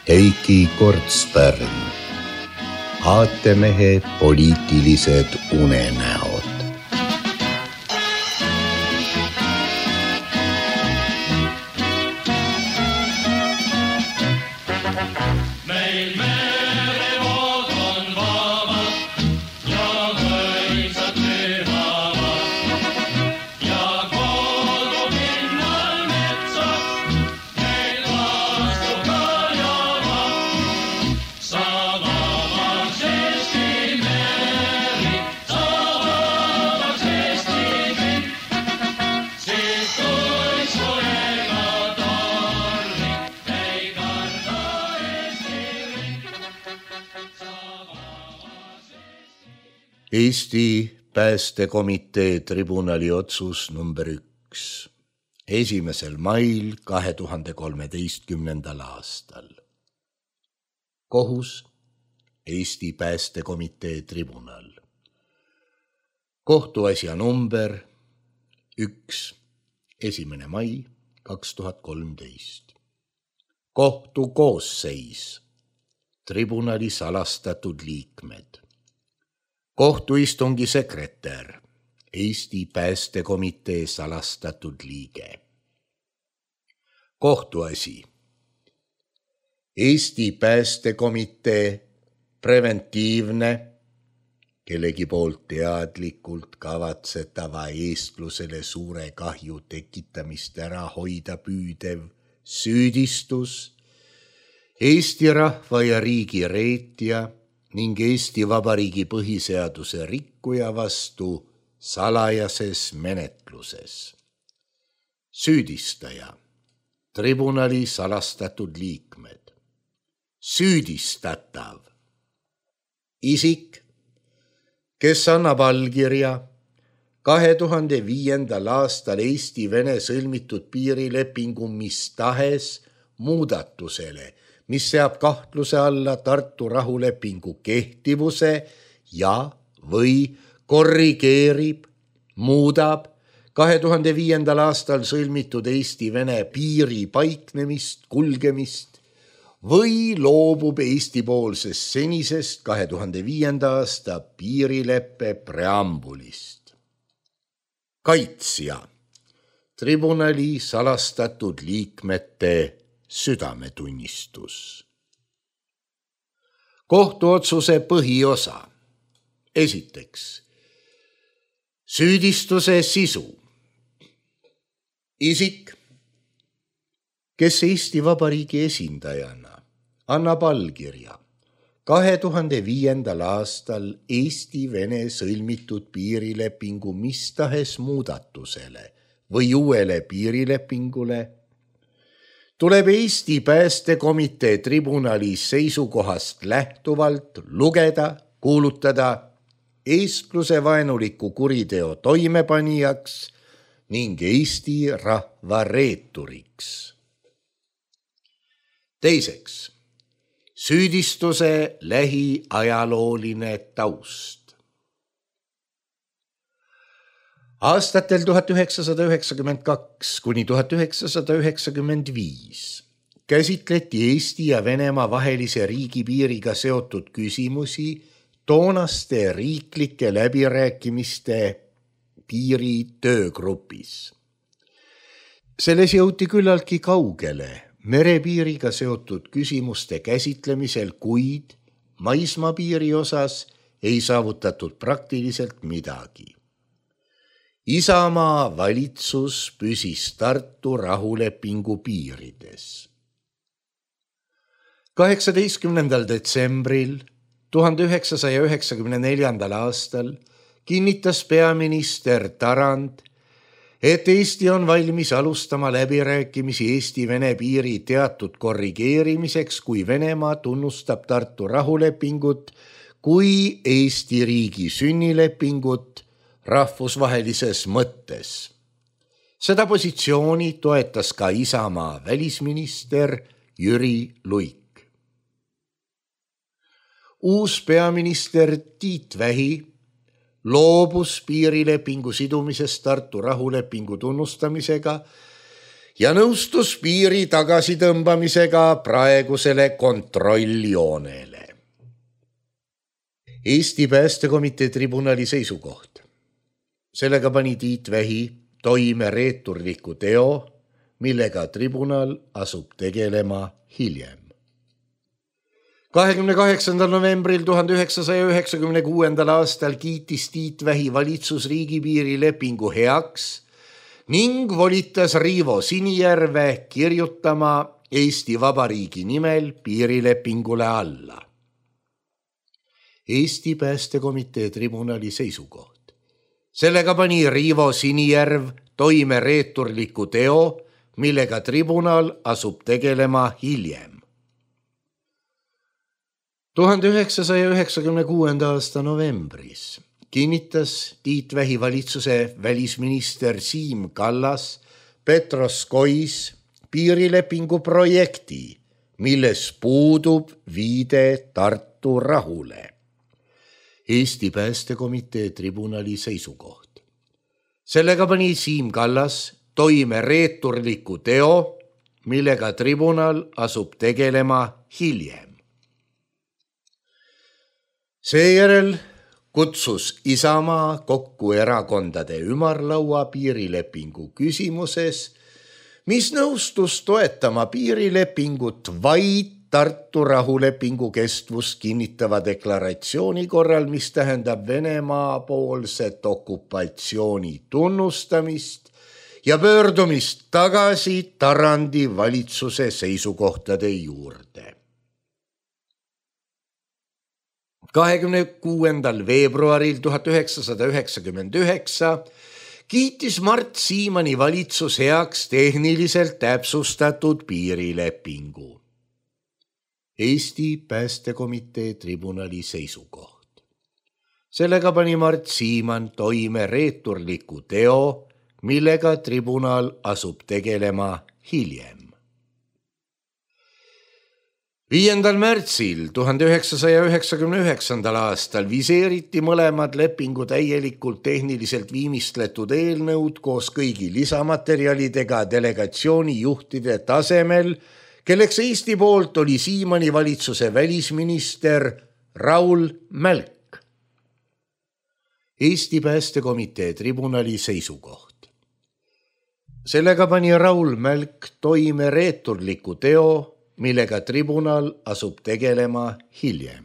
Heiki Kortspärn, aatemehe poliitilised unenäod. Meil merevood on vabad ja mõisad pühavad ja kogu pinnal metsad meil vastu kajavad. Sa vabaks Eesti meri, sa vabaks Eesti kõik, siis kui su ega tormi ei karda Eesti Päästekomitee tribunali otsus number 1 1. mail 2013. aastal. Kohus Eesti Päästekomitee tribunal. Kohtuasja number 1 1. mai 2013. Kohtu koosseis. Tribunali salastatud liikmed. Kohtuistungi sekretär, Eesti Päästekomitee salastatud liige. Kohtuasi. Eesti Päästekomitee preventiivne, kellegi poolt teadlikult kavatsetava eestlusele suure kahju tekitamist ära hoida püüdev süüdistus Eesti rahva ja riigi reetja ning Eesti Vabariigi põhiseaduse rikkuja vastu salajases menetluses. Süüdistaja, tribunali salastatud liikmed. Süüdistatav, isik, kes annab allkirja 2005. aastal Eesti-Vene sõlmitud piirilepingu mis tahes muudatusele, mis seab kahtluse alla Tartu rahulepingu kehtivuse ja või korrigeerib, muudab 2005. aastal sõlmitud Eesti-Vene piiri paiknemist, kulgemist või loobub Eesti-poolsest senisest 2005. aasta piirileppe preambulist. Kaitsja, tribunali salastatud liikmete südametunnistus. Kohtuotsuse põhiosa. Esiteks, süüdistuse sisu. Isik, kes Eesti Vabariigi esindajana annab allkirja 2005. aastal Eesti-Vene sõlmitud piirilepingu mis tahes muudatusele või uuele piirilepingule, tuleb Eesti Päästekomitee tribunali seisukohast lähtuvalt lugeda, kuulutada eestluse vaenuliku kuriteo toimepanijaks ning Eesti rahva reeturiks. Teiseks, süüdistuse lähiajalooline taust. Aastatel 1992 kuni 1995 käsitleti Eesti ja Venemaa vahelise riigipiiriga seotud küsimusi toonaste riiklike läbirääkimiste piiri töögrupis. Selles jõuti küllaltki kaugele merepiiriga seotud küsimuste käsitlemisel, kuid maismaapiiri osas ei saavutatud praktiliselt midagi. Isamaa valitsus püsis Tartu rahulepingu piirides. 18. detsembril 1994. aastal kinnitas peaminister Tarand, et Eesti on valmis alustama läbirääkimisi Eesti-Vene piiri teatud korrigeerimiseks, kui Venemaa tunnustab Tartu rahulepingut kui Eesti riigi sünnilepingut rahvusvahelises mõttes. Seda positsiooni toetas ka Isamaa välisminister Jüri Luik. Uus peaminister Tiit Vähi loobus piirilepingu sidumisest Tartu rahulepingu tunnustamisega ja nõustus piiri tagasitõmbamisega praegusele kontrolljoonele. Eesti Päästekomitee tribunali seisukoht. Sellega pani Tiit Vähi toime reeturliku teo, millega tribunal asub tegelema hiljem. 28. novembril 1996. aastal kiitis Tiit Vähi valitsus riigipiiri lepingu heaks ning volitas Riivo Sinijärve kirjutama Eesti Vabariigi nimel piirilepingule alla. Eesti Päästekomitee tribunali seisukoht. Sellega pani Riivo Sinijärv toime reeturliku teo, millega tribunal asub tegelema hiljem. 1996. aasta novembris kinnitas Tiit Vähi valitsuse välisminister Siim Kallas Petroskois piirilepingu projekti, milles puudub viide Tartu rahule. Eesti Päästekomitee tribunali seisukoht. Sellega pani Siim Kallas toime reeturliku teo, millega tribunal asub tegelema hiljem. Seejärel kutsus Isamaa kokku erakondade ümarlaua piirilepingu küsimuses, mis nõustus toetama piirilepingut vaid Tartu rahulepingu kestvust kinnitava deklaratsiooni korral, mis tähendab Venemaa poolset okupatsiooni tunnustamist ja pöördumist tagasi Tarandi valitsuse seisukohtade juurde. 26. veebruaril 1999 kiitis Mart Siimanni valitsus heaks tehniliselt täpsustatud piirilepingu. Eesti Päästekomitee tribunali seisukoht. Sellega pani Mart Siimann toime reeturliku teo, millega tribunal asub tegelema hiljem. 5. märtsil 1999. aastal viseeriti mõlemad lepingu täielikult tehniliselt viimistletud eelnõud koos kõigi lisamaterjalidega delegatsiooni juhtide tasemel, kelleks Eesti poolt oli Siimanni valitsuse välisminister Raul Mälk. Eesti Päästekomitee tribunali seisukoht. Sellega pani Raul Mälk toime reeturliku teo, millega tribunal asub tegelema hiljem.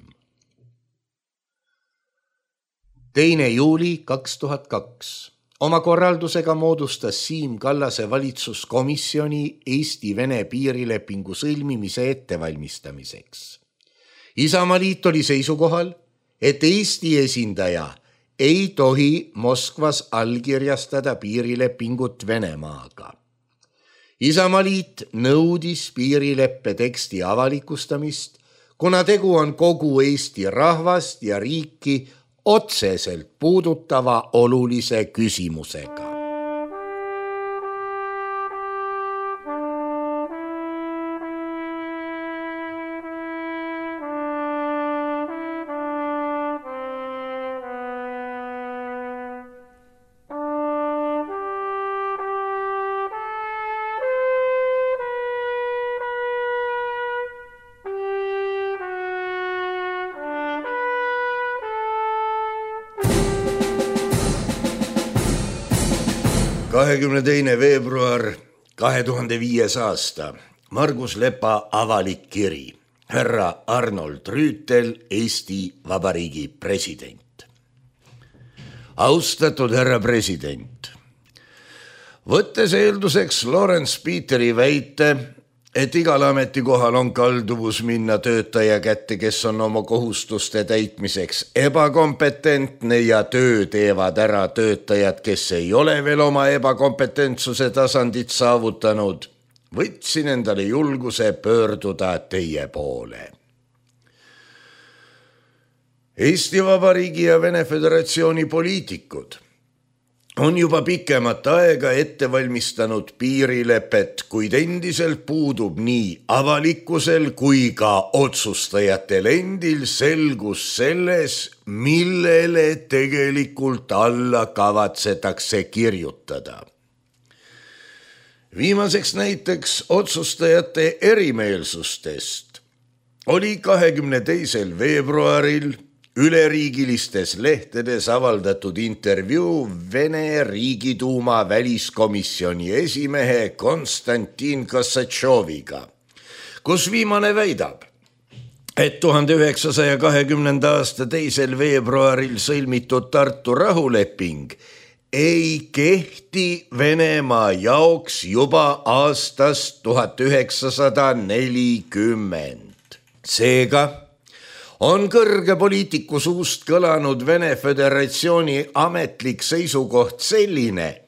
2. juuli 2002. Oma korraldusega moodustas Siim Kallase valitsuskomisjoni Eesti-Vene piirilepingu sõlmimise ettevalmistamiseks. Isamaaliit oli seisukohal, et Eesti esindaja ei tohi Moskvas allkirjastada piirilepingut Venemaaga. Isamaaliit nõudis piirileppe teksti avalikustamist, kuna tegu on kogu Eesti rahvast ja riiki otseselt puudutava olulise küsimusega. ...22. veebruar 2005. aasta. Margus Lepa avalik kiri. Härra Arnold Rüütel, Eesti Vabariigi president. Austatud härra president. Võttes eelduseks Lawrence Peteri väite, et igal ametikohal on kalduvus minna töötaja kätte, kes on oma kohustuste täitmiseks ebakompetentne ja töö teevad ära töötajad, kes ei ole veel oma ebakompetentsuse tasandit saavutanud, võtsin endale julguse pöörduda teie poole. Eesti Vabariigi ja Vene Föderatsiooni poliitikud on juba pikemat aega ette valmistanud piirilepet, kuid endiselt puudub nii avalikkusel kui ka otsustajatel endil selgus selles, millele tegelikult alla kavatsetakse kirjutada. Viimaseks näiteks otsustajate erimeelsustest oli 22. veebruaril üleriigilistes lehtedes avaldatud intervjuu Vene Riigiduuma väliskomisjoni esimehe Konstantin Kossatšoviga, kus viimane väidab, et 1920. aasta 2. veebruaril sõlmitud Tartu rahuleping ei kehti Venemaa jaoks juba aastast 1940. Seega on kõrge poliitiku suust kõlanud Vene Föderatsiooni ametlik seisukoht selline,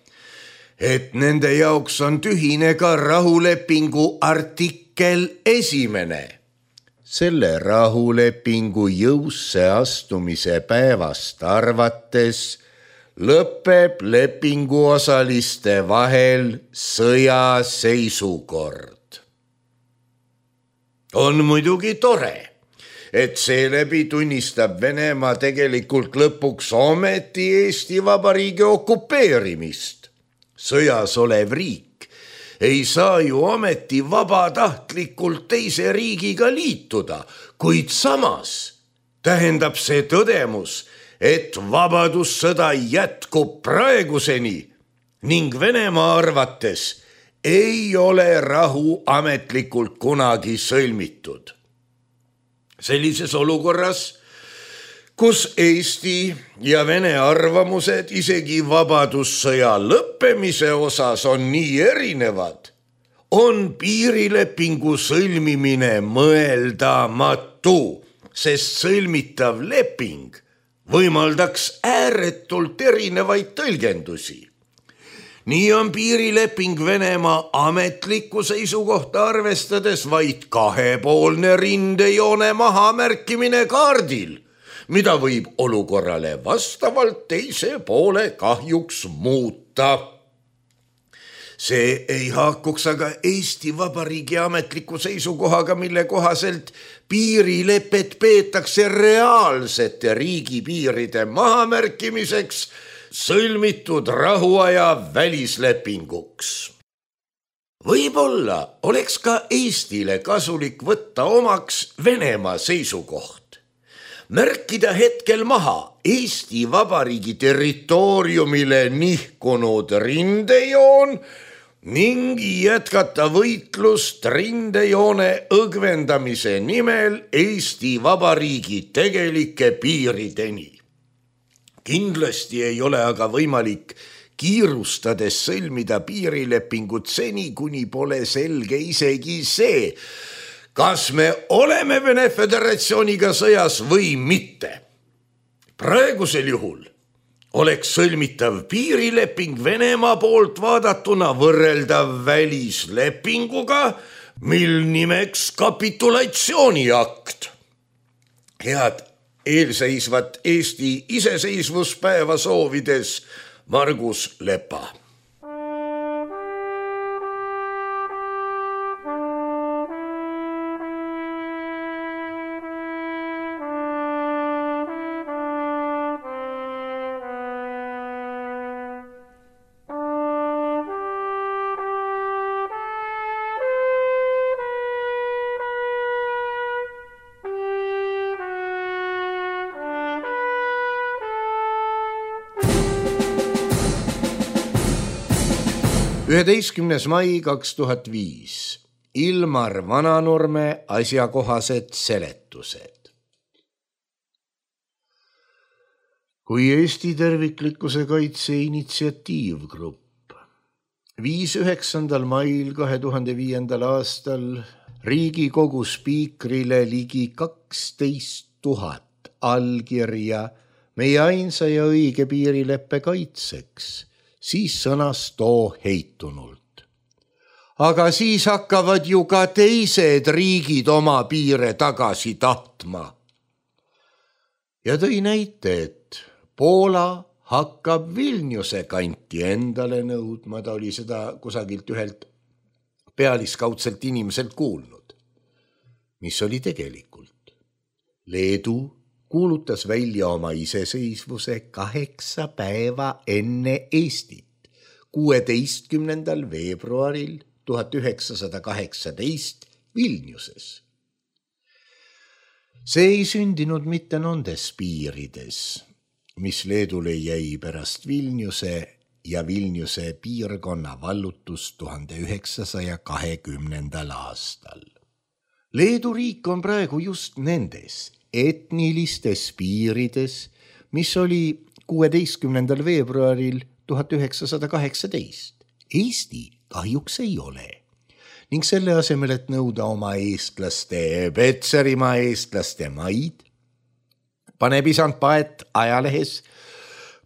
et nende jaoks on tühine ka rahulepingu artikkel 1. Selle rahulepingu jõusse astumise päevast arvates lõpeb lepinguosaliste vahel sõjaseisukord. On muidugi tore, et seeläbi tunnistab Venemaa tegelikult lõpuks ometi Eesti Vabariigi okupeerimist. Sõjas olev riik ei saa ju ometi vabatahtlikult teise riigiga liituda, kuid samas tähendab see tõdemus, et vabadussõda jätkub praeguseni ning Venemaa arvates ei ole rahu ametlikult kunagi sõlmitud. Sellises olukorras, kus Eesti ja Vene arvamused isegi vabadussõja lõppemise osas on nii erinevad, on piirilepingu sõlmimine mõeldamatu, sest sõlmitav leping võimaldaks ääretult erinevaid tõlgendusi. Nii on piirileping Venemaa ametlikku seisukohta arvestades vaid kahepoolne rindejoone mahamärkimine kaardil, mida võib olukorrale vastavalt teise poole kahjuks muuta. See ei haakuks aga Eesti Vabariigi ametliku seisukohaga, mille kohaselt piirilepet peetakse reaalsete riigipiiride mahamärkimiseks sõlmitud rahuaja välislepinguks. Võib-olla oleks ka Eestile kasulik võtta omaks Venemaa seisukoht, märkida hetkel maha Eesti Vabariigi territooriumile nihkunud rindejoon ning jätkata võitlust rindejoone õgvendamise nimel Eesti Vabariigi tegelike piirideni. Kindlasti ei ole aga võimalik kiirustades sõlmida piirilepingut seni, kuni pole selge isegi see, kas me oleme Vene Föderatsiooniga sõjas või mitte. Praegusel juhul oleks sõlmitav piirileping Venemaa poolt vaadatuna võrreldav välislepinguga, mil nimeks kapitulatsiooniakt. Head eelseisvat Eesti iseseisvuspäeva soovides Margus Lepa. Mai 2005. Ilmar Vananurme asjakohased seletused. Kui Eesti terviklikkuse kaitse initsiatiivgrupp viis 9. mail 2005. aastal Riigikogu spiikrile ligi 12 000 allkirja meie ainsa ja õige piirileppe kaitseks, siis sõnas too heitunult. Aga siis hakkavad ju ka teised riigid oma piire tagasi tahtma. Ja tõi näite, et Poola hakkab Vilniuse kanti endale nõudma, ta oli seda kusagilt ühelt pealiskaudselt inimeselt kuulnud. Mis oli tegelikult? Leedu kuulutas välja oma iseseisvuse 8 päeva enne Eestit, 16. veebruaril 1918 Vilniuses. See ei sündinud mitte nendes piirides, mis Leedule jäi pärast Vilniuse ja Vilniuse piirkonna vallutust 1920. aastal. Leedu riik on praegu just nendes etnilistes piirides, mis oli 16. veebruaril 1918. Eesti kahjuks ei ole. Ning selle asemel, et nõuda oma eestlaste, Petserimaa eestlaste maid, paneb isand Paet ajalehes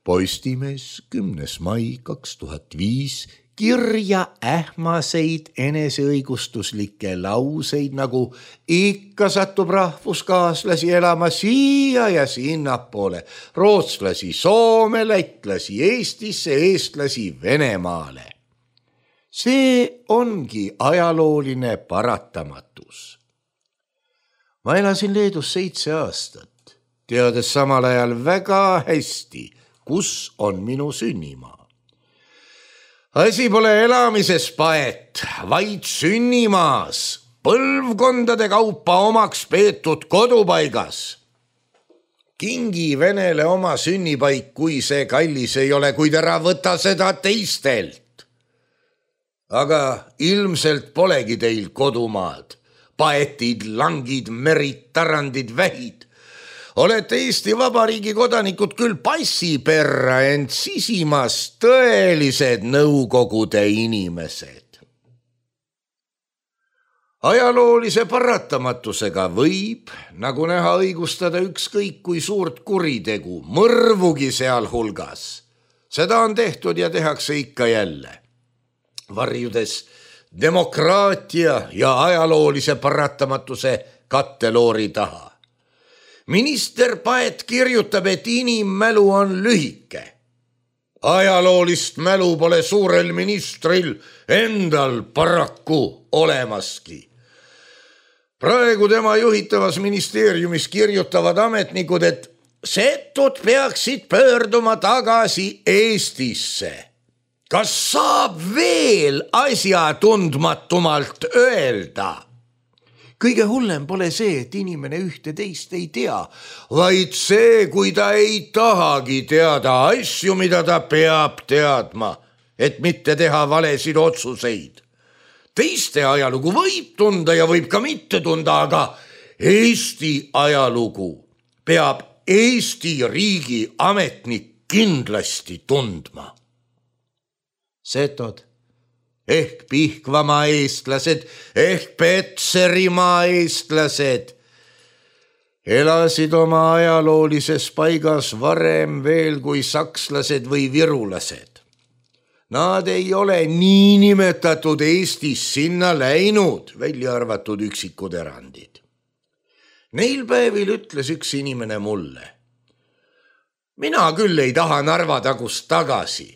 Postimees 10. mai 2005 kirja ähmaseid eneseõigustuslikke lauseid, nagu ikka satub rahvuskaaslasi elama siia ja sinnapoole, rootslasi Soome, lätlasi Eestisse, eestlasi Venemaale. See ongi ajalooline paratamatus. Ma elasin Leedus 7 aastat, teades samal ajal väga hästi, kus on minu sünnimaa. Asi pole elamises, Paet, vaid sünnimaas, põlvkondade kaupa omaks peetud kodupaigas. Kingi Venele oma sünnipaik, kui see kallis ei ole, kuid ära võta seda teistelt. Aga ilmselt polegi teil kodumaad, Paetid, langid, merid, tarandid, vähid. Olete Eesti Vabariigi kodanikud küll passi perra, ent sisimas tõelised Nõukogude inimesed. Ajaloolise paratamatusega võib, nagu näha, õigustada ükskõik kui suurt kuritegu, mõrvugi sealhulgas. Seda on tehtud ja tehakse ikka jälle. Varjudes demokraatia ja ajaloolise paratamatuse katteloori taha. Minister Paet kirjutab, et inimmälu on lühike. Ajaloolist mälu pole suurel ministril endal paraku olemaski. Praegu tema juhitavas ministeeriumis kirjutavad ametnikud, et setud peaksid pöörduma tagasi Eestisse. Kas saab veel asjatundmatumalt öelda? Kõige hullem pole see, et inimene ühte teist ei tea, vaid see, kui ta ei tahagi teada asju, mida ta peab teadma, et mitte teha valesid otsuseid. Teiste ajalugu võib tunda ja võib ka mitte tunda, aga Eesti ajalugu peab Eesti riigi ametnik kindlasti tundma. Setod ehk Pihkvamaa eestlased, ehk Petserimaa eestlased elasid oma ajaloolises paigas varem veel kui sakslased või virulased. Nad ei ole niinimetatud Eestis sinna läinud, välja arvatud üksikud erandid. Neil päevil ütles üks inimene mulle: mina küll ei taha Narva tagust tagasi.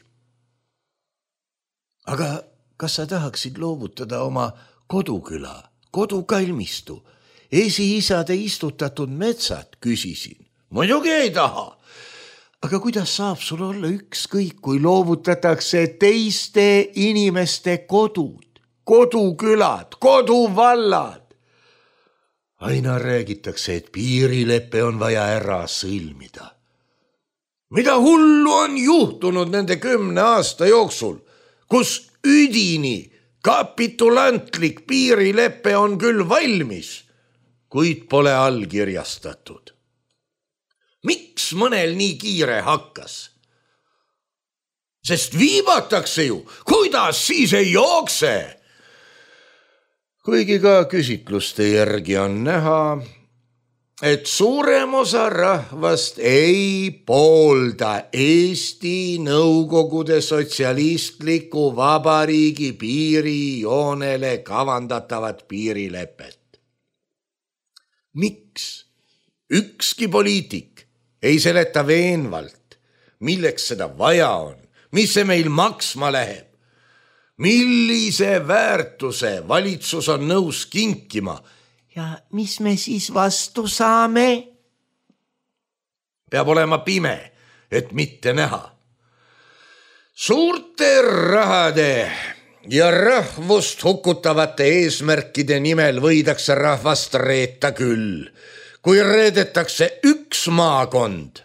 Aga kas sa tahaksid loovutada oma koduküla, kodukalmistu, esiisade istutatud metsad, küsisin. Muidugi ei taha. Aga kuidas saab sul olla ükskõik, kui loovutatakse teiste inimeste kodud, kodukülad, koduvallad? Aina räägitakse, et piirilepe on vaja ära sõlmida. Mida hullu on juhtunud nende 10 aasta jooksul, kus üdini kapitulantlik piirilepe on küll valmis, kuid pole allkirjastatud. Miks mõnel nii kiire hakkas? Sest viibatakse ju, kuidas siis ei jookse? Kuigi ka küsitluste järgi on näha, et suurem osa rahvast ei poolda Eesti Nõukogude sotsialistliku vabariigi piirijoonele kavandatavat piirilepet. Miks ükski poliitik ei seleta veenvalt, milleks seda vaja on, mis see meil maksma läheb, millise väärtuse valitsus on nõus kinkima ja mis me siis vastu saame? Peab olema pime, et mitte näha. Suurte rahade ja rahvust hukutavate eesmärkide nimel võidakse rahvast reeta küll. Kui reedetakse üks maakond,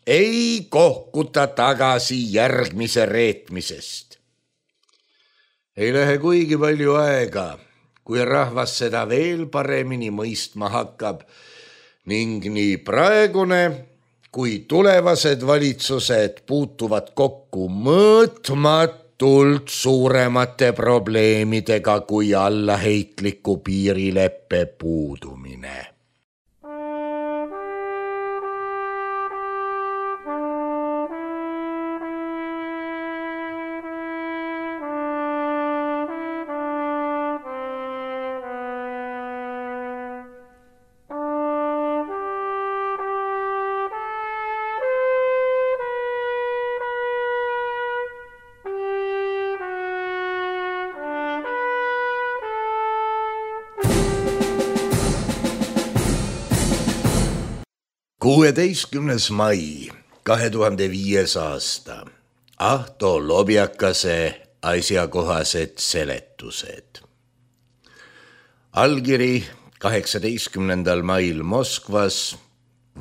ei kohkuta tagasi järgmise reetmisest. Ei lähe kuigi palju aega, kui rahvas seda veel paremini mõistma hakkab ning nii praegune kui tulevased valitsused puutuvad kokku mõõtmatult suuremate probleemidega kui allaheitliku piirileppe puudumine. Kuueteistkümnes mai 2005. aasta. Ahto Lobjakase asjakohased seletused. Allkiri 18. mail Moskvas.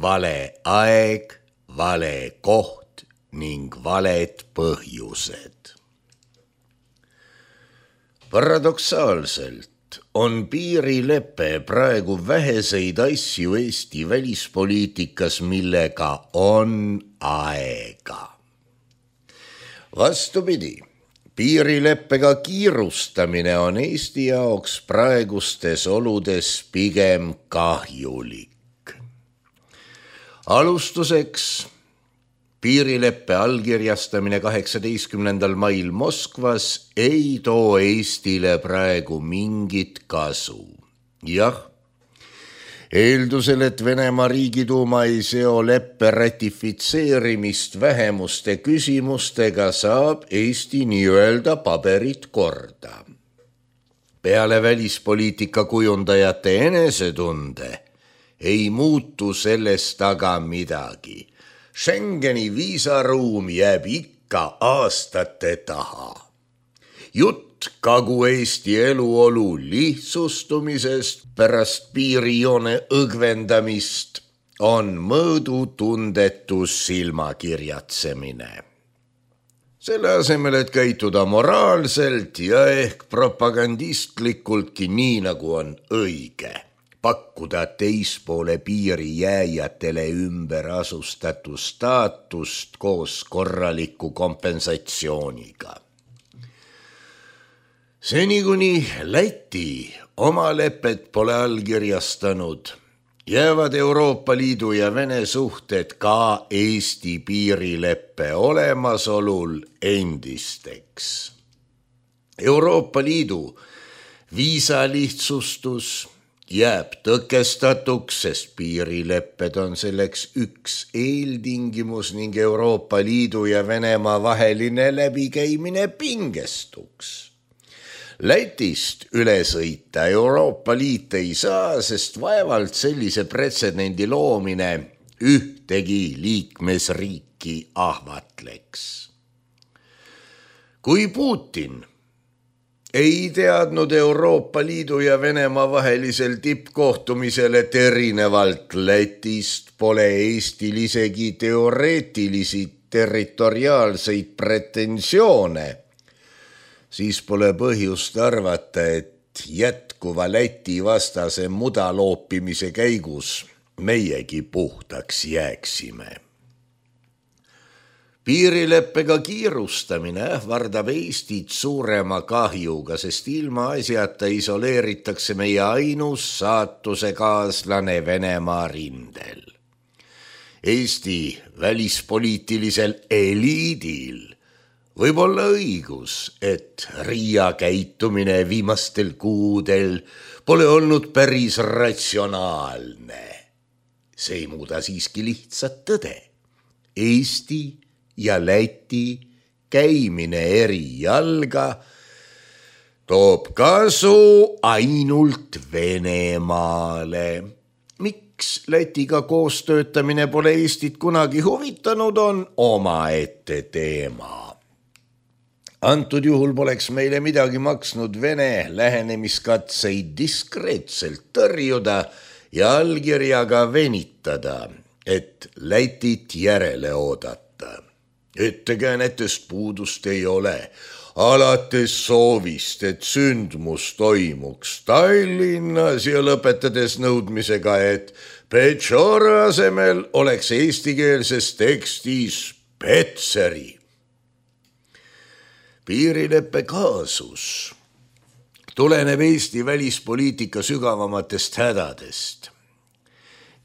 Vale aeg, vale koht ning valed põhjused. Paradoksaalselt on piirilepe praegu väheseid asju Eesti välispoliitikas, millega on aega. Vastupidi, piirileppega kiirustamine on Eesti jaoks praegustes oludes pigem kahjulik. Alustuseks piirileppe allkirjastamine 18. mail Moskvas ei too Eestile praegu mingit kasu. Jah, eeldusel, et Venemaa Riigiduuma ei seo leppe ratifitseerimist vähemuste küsimustega, saab Eesti nii-öelda paberit korda. Peale välispoliitika kujundajate enesetunde ei muutu sellest aga midagi. Schengeni viisaruum jääb ikka aastate taha. Jutt Kagu-Eesti eluolu lihtsustumisest pärast piirijoone õgvendamist on mõõdutundetus silmakirjatsemine. Selle asemel, et käituda moraalselt ja ehk propagandistlikultki nii, nagu on õige, pakkuda teispoole piiri jääjatele ümberasustatud staatust koos korraliku kompensatsiooniga. Seni kuni Läti oma lepet pole allkirjastanud, jäävad Euroopa Liidu ja Vene suhted ka Eesti piirileppe olemasolul endisteks. Euroopa Liidu viisalihtsustus jääb tõkestatuks, sest piirilepped on selleks üks eeltingimus ning Euroopa Liidu ja Venemaa vaheline läbikäimine pingestuks. Lätist üle sõita Euroopa Liit ei saa, sest vaevalt sellise pretsedendi loomine ühtegi liikmesriiki ahvatleks. Kui Putin ei teadnud Euroopa Liidu ja Venemaa vahelisel tippkohtumisel, et erinevalt Lätist pole Eestil isegi teoreetilisi territoriaalseid pretensioone, siis pole põhjust arvata, et jätkuva Läti vastase mudaloopimise käigus meiegi puhtaks jääksime. Piirileppega kiirustamine ähvardab Eestit suurema kahjuga, sest ilma asjata isoleeritakse meie ainus saatusekaaslane Venemaa rindel. Eesti välispoliitilisel eliidil võib olla õigus, et Riia käitumine viimastel kuudel pole olnud päris ratsionaalne. See ei muuda siiski lihtsat tõde. Eesti ja Läti käimine eri jalga toob kasu ainult Venemaale. Miks Lätiga koostöötamine pole Eestit kunagi huvitanud, on omaette teema. Antud juhul poleks meile midagi maksnud Vene lähenemiskatseid diskreetselt tõrjuda ja allkirjaga venitada, et Lätit järele oodata. Ettekäänetest puudust ei ole, alates soovist, et sündmus toimuks Tallinnas ja lõpetades nõudmisega, et Pečora asemel oleks eestikeelses tekstis Petseri. Piirileppe kaasus tuleneb Eesti välispoliitika sügavamatest hädadest.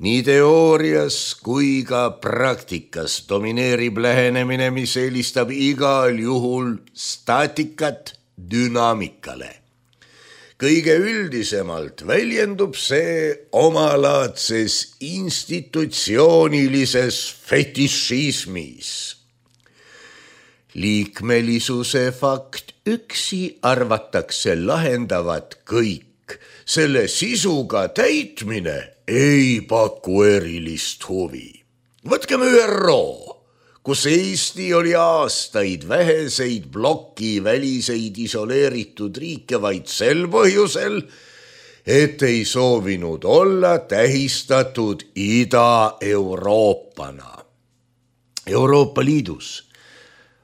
Nii teoorias kui ka praktikas domineerib lähenemine, mis eelistab igal juhul staatikat dünaamikale. Kõige üldisemalt väljendub see omalaadses institutsioonilises fetišismis. Liikmelisuse fakt üksi arvatakse lahendavat kõik. Selle sisuga täitmine ei paku erilist huvi. Võtkem ÜRO, kus Eesti oli aastaid väheseid ploki väliseid isoleeritud riike vaid sel põhjusel, et ei soovinud olla tähistatud Ida-Euroopana. Euroopa Liidus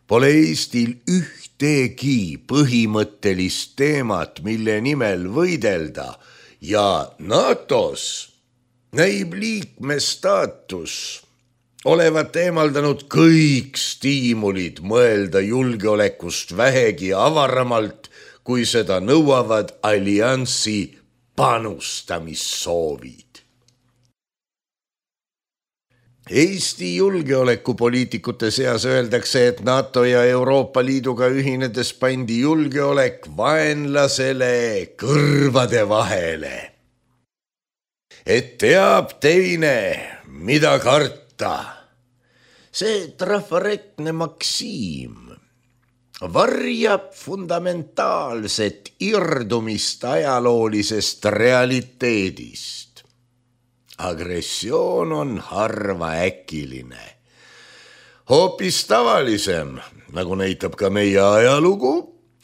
pole Eestil ühtegi põhimõttelist teemat, mille nimel võidelda, ja NATO-s näib liikmestaatus olevat eemaldanud kõik stiimulid mõelda julgeolekust vähegi avaramalt, kui seda nõuavad alliansi panustamissoovid. Eesti julgeolekupoliitikute seas öeldakse, et NATO ja Euroopa Liiduga ühinedes pandi julgeolek vaenlasele kõrvade vahele. Et teab teine, mida karta. See trafaretne maksiim varjab fundamentaalset irdumist ajaloolisest realiteedist. Agressioon on harva äkiline. Hoopis tavalisem, nagu näitab ka meie ajalugu,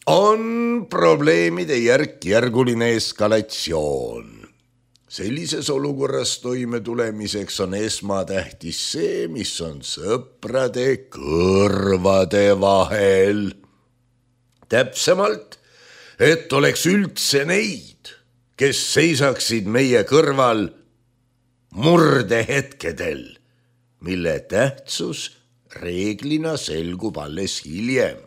on probleemide järkjärguline eskalatsioon. Sellises olukorras toime tulemiseks on esmatähtis see, mis on sõprade kõrvade vahel. Täpsemalt, et oleks üldse neid, kes seisaksid meie kõrval murdehetkedel, mille tähtsus reeglina selgub alles hiljem.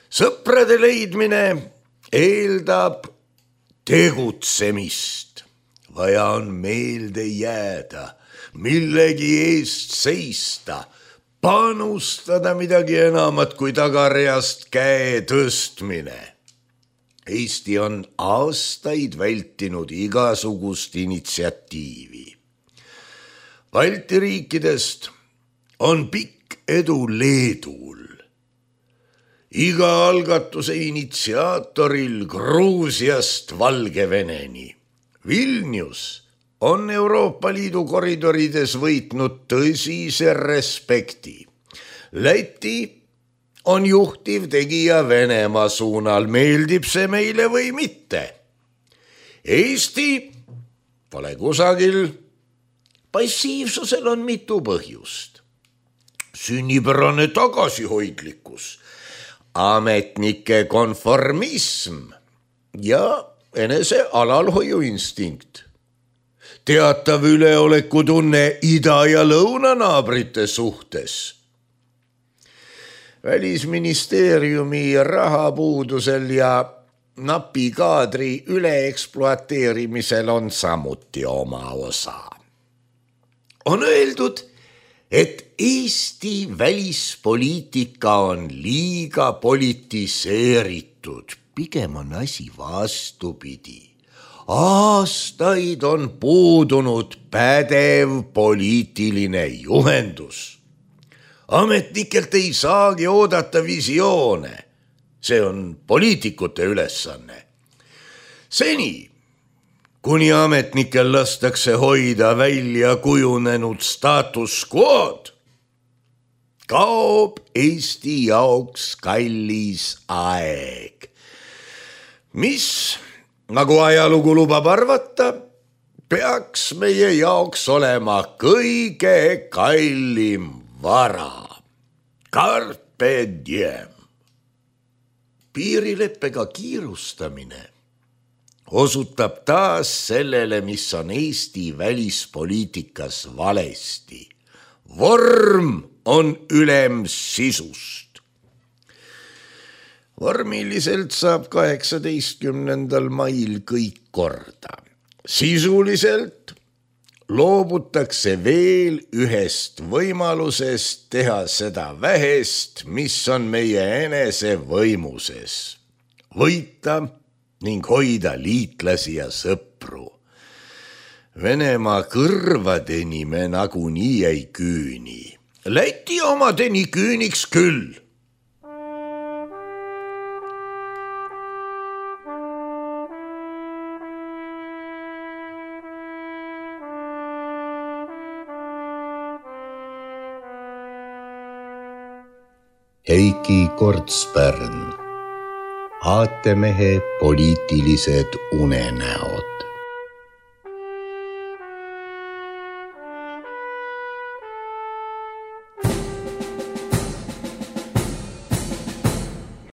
Sõprade leidmine eeldab tegutsemist. Vaja on meelde jääda, millegi eest seista, panustada midagi enamat kui tagareast käe tõstmine. Eesti on aastaid vältinud igasugust initsiatiivi. Balti riikidest on pikk edu Leedul. Iga algatuse initsiaatoril Gruusiast Valgeveneni. Vilnius on Euroopa Liidu koridorides võitnud tõsise respekti. Läti on juhtiv tegija Venemaa suunal, meeldib see meile või mitte. Eesti pole kusagil. Passiivsusel on mitu põhjust. Sünnipärane tagasihoidlikkus, ametnike konformism ja enese alalhoiuinstinkt. Teatav üleolekutunne ida- ja lõunanaabrite suhtes. Välisministeeriumi rahapuudusel ja napi kaadri üleekspluateerimisel on samuti oma osa. On öeldud, et Eesti välispoliitika on liiga politiseeritud, pigem on asi vastupidi. Aastaid on puudunud pädev poliitiline juhendus. Ametnikelt ei saagi oodata visioone. See on poliitikute ülesanne. Seni, kuni ametnikel lastakse hoida välja kujunenud status quo'd, kaob Eesti jaoks kallis aeg, mis, nagu ajalugu lubab arvata, peaks meie jaoks olema kõige kallim vara. Carpe diem. Piirileppega kiirustamine osutab taas sellele, mis on Eesti välispoliitikas valesti. Vorm on ülem sisust. Vormiliselt saab 18. mail kõik korda. Sisuliselt loobutakse veel ühest võimalusest teha seda vähest, mis on meie enese võimuses. Võita ning hoida liitlasi ja sõpru. Venemaa kõrvadeni me nagunii ei küüni. Läti omadeni küüniks küll. Heiki Kortspärn, aatemehe poliitilised unenäod.